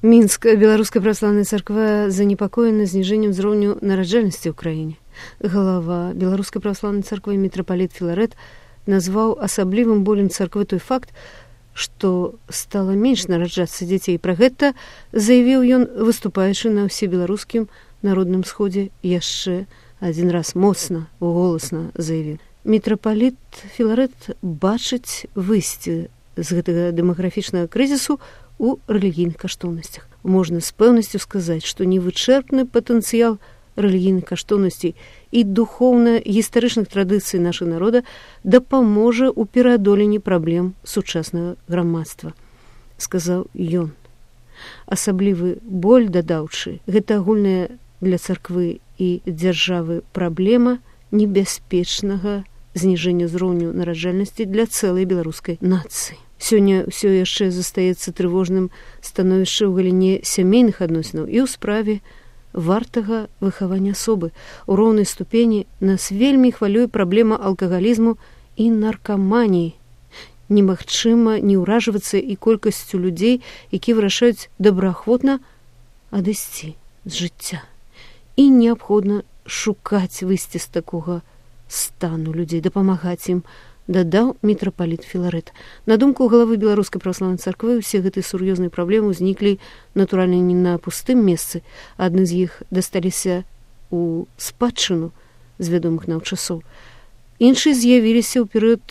Мінск, беларуская праваслаўная царква занепакоена зніжэннем узроўню нараджальнасці ў краіне. Галава беларускай праваслаўнай царквы мітрапаліт Філарэт назваў асаблівым болем царквы той факт, што стала менш нараджацца дзяцей. Пра гэта заявіў ён, выступаючы на ўсебеларускім народным сходзе, яшчэ адзін раз моцна, голасна заявіў. Мітрапаліт Філарэт бачыць выйсце з гэтага дэмаграфічнага крызісу у рэлігійных каштоўнасцях. Можна з пэўнасцю сказаць, што невычэрпны патэнцыял рэлігійных каштоўнасцей і духоўна-гістарычных традыцый нашага народа дапаможа ў пераадоленні праблем сучаснага грамадства, сказаў ён. Асаблівы боль дадаўчы, гэта агульная для царквы і дзяржавы праблема небяспечнага зніжэння ўзроўню нараджальнасці для цэлай беларускай нацыі. Сёння ўсё яшчэ застаецца трывожным становішча ў галіне сямейных адносінаў і ў справе вартага выхавання асобы. У роўнай ступені нас вельмі хвалюе праблема алкагалізму і наркаманіі. Немагчыма не ўражвацца і колькасцю людзей, якія вырашаюць добраахвотна адысці з жыцця. І неабходна шукаць выйсце з такога стану людзей, дапамагаць ім, дадаў мітрапаліт Філарэт. На думку галавы беларускай праваслаўнай царквы, усе гэтыя сур'ёзныя праблемы ўзніклі, натуральна, не на пустым месцы. Адны з іх дасталіся ў спадчыну з вядомых нам часоў. Іншыя з'явіліся ў перыяд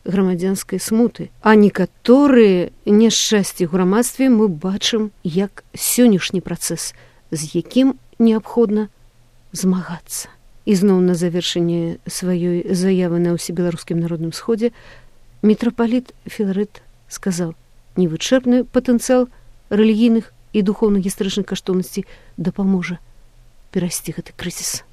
грамадзянскай смуты. А некаторыя няшчасці ў грамадстве мы бачым як сённяшні працэс, з якім неабходна змагацца. І зноў на завяршэнне сваёй заявы на ўсебеларускім народным сходзе мітрапаліт Філарэт сказаў: невычэрпны патэнцыял рэлігійных і духоўна-гістарычных каштоўнасцей дапаможа перайсці гэты крызіс.